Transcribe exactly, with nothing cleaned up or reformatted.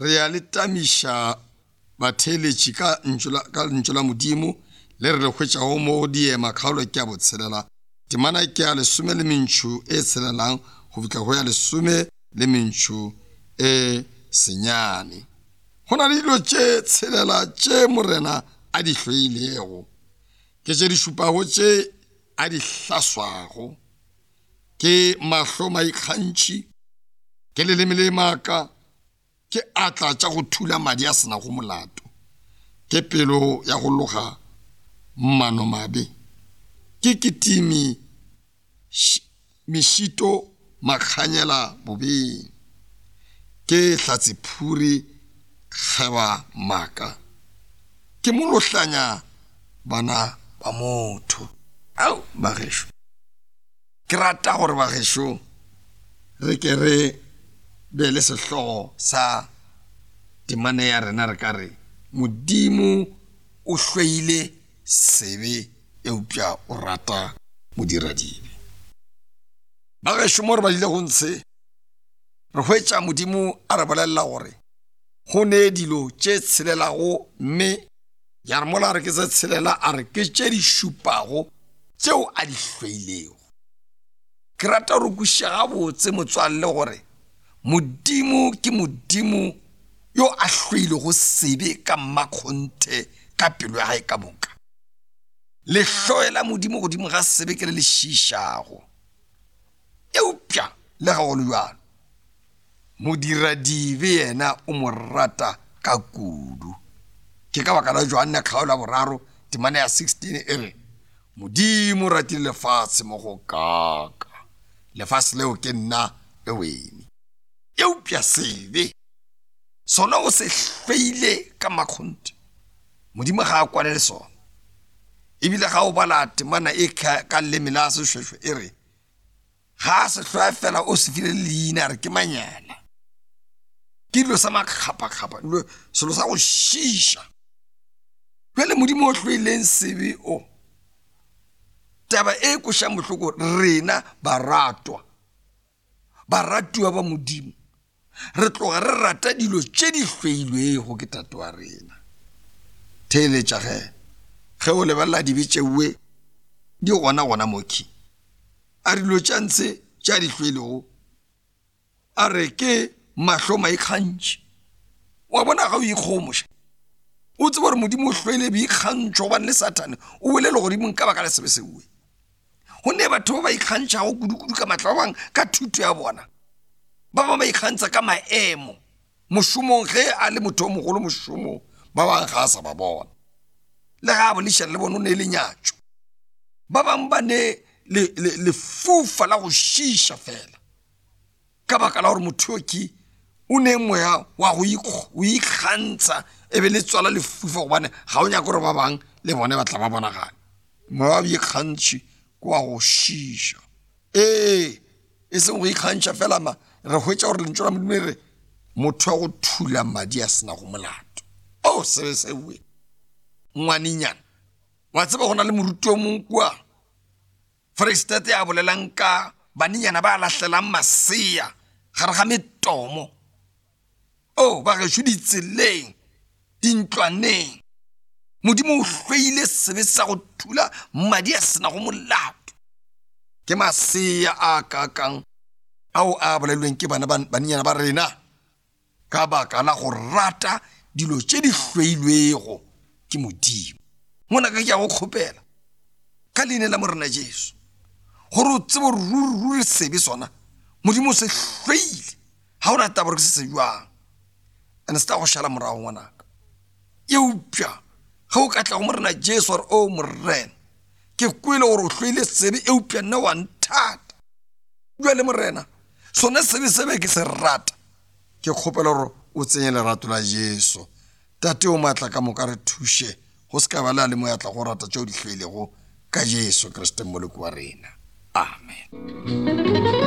re ya letamisha batheletši ka ntšola ka ntšola modimo le re le hwetšago mo diema kgaolo ke a botshelela temana ke ya lesome le mentšho e tshelelang go fihla go ya lesome le mentšho e senyane. Go na le dilo tše tshelela tše morena a di hloilego ke tše di šupago tše a di hlaswago ke mahlo maikgantšhi ke leleme le maaka ke atla tša go thula madi a sena go molato ke pelo ya go loga mmano mabe ke kitimi mešito makganyela bobeng ke hlatsiphuri kgeba maka ke molohlanya bana ba motho. Au bagešo ke rata gore bagešo re ke re be le sehlogo sa temane ya rena re ka re modimo o hloile sebe eupša o rata modiradibe. Bagešo mo re badile go ntshe re hwetša modimo a re bolelela gore go ne dilo tše tshelelago mme ya re mola re ke se tshelela a re ke tše di šupago tšeo a di hloilego. Ke rata gore kuša gabotse motswalle gore modimo ke modimo yo a hloilego sebe ka mmakgonthe ka pelo ya gae ka moka. Lehloe la modimo godimo ga sebe ke le le šišago eupša le ga go le bjalo modiradibe yena o mo rata ka kudu. Ke ka baka la Johana kgaolo ya boraro temana ya sixteen e re modimo o ratile lefatshe mo go kaka lefatshe leo ke nna le wena. Eupša sebe sona o se hloile ka makgonthe modimo ga a kwane le sona ebile ga o bala temana e ka leleme la sešwešwe e re ga se hloya fela o se file leina re ke manyala ke dilo sa makgapakgapa selo sa go šiša. Jwale modimo o hloileng sebe o taba e košang bohloko rena baratwa baratuwa ba modimo re tloga re rata dilo tše di hloilwego ke tate wa rena. Theeletša ge ge o lebelela dibe tšeue di gona gona moki a dilo tša ntse tša di hloilego a re ke mahlo maikgantšhi wa bona ga o ikgomoša o tseba gore modimo o hloile boikgantšho gobane le satane o bolele godimo ka baka le sebe seue go ne batho ba ba ikgantšhago kudu-kudu ka matla ba bang ka thuto ya bona ba ba ba ikgantša ka maemo mošomong ge a le motho o mogolo mošomong ba bang ga a sa ba bona le ga a bolešana le bona o ne le nyatšo ba bang ba ne lefufa la go šiša fela ka baka la gore motho ki o ne moya wa go ikgantša e be le tswala lefufa gobane ga o nyaka gore ba bang le bone ba tla ba bonagane moya wa boikgantšhi ke wa go šiša. Ee e seng go ikgantšha fela ma re hwetša gore lentso la modimo re motho wa go thula madi a sena go molato. O sebe seue ngwanenyana wa tseba go na le moruti o mongwe kua Foreisetata ya bolelang ka banenyana ba lahlelang masea gare ga metomo. O ba gešo ditseleng dintlwaneng modimo o hloile sebe sa go thula madi a sena go molato ke masea a kakang ao a bolelweng ke bana banenyana ba rena ka baka la go rata dilo tše di hloilwego ke modimo. Ngwana ka ke a go kgopela ka leina la morena Jesu gore o tsebe ruri sebe sona modimo se hloile ga o na taba gore ke se se jwang ane se ta go šala morago ngwanaka. Eupša ga o ka tla go morena Jesu gore o morena ke kwele gore o hloile sebe eupša nna wa nthata jwale morena sone sebe sebe ke se rata ke kgopela gore o tsenye lerato la Jesu. Tate o maatla ka moka re thuše go se ka ba le a le mo ya tla go rata tšeo di hloilego ka Jesu Kriste moloko wa rena. Amen.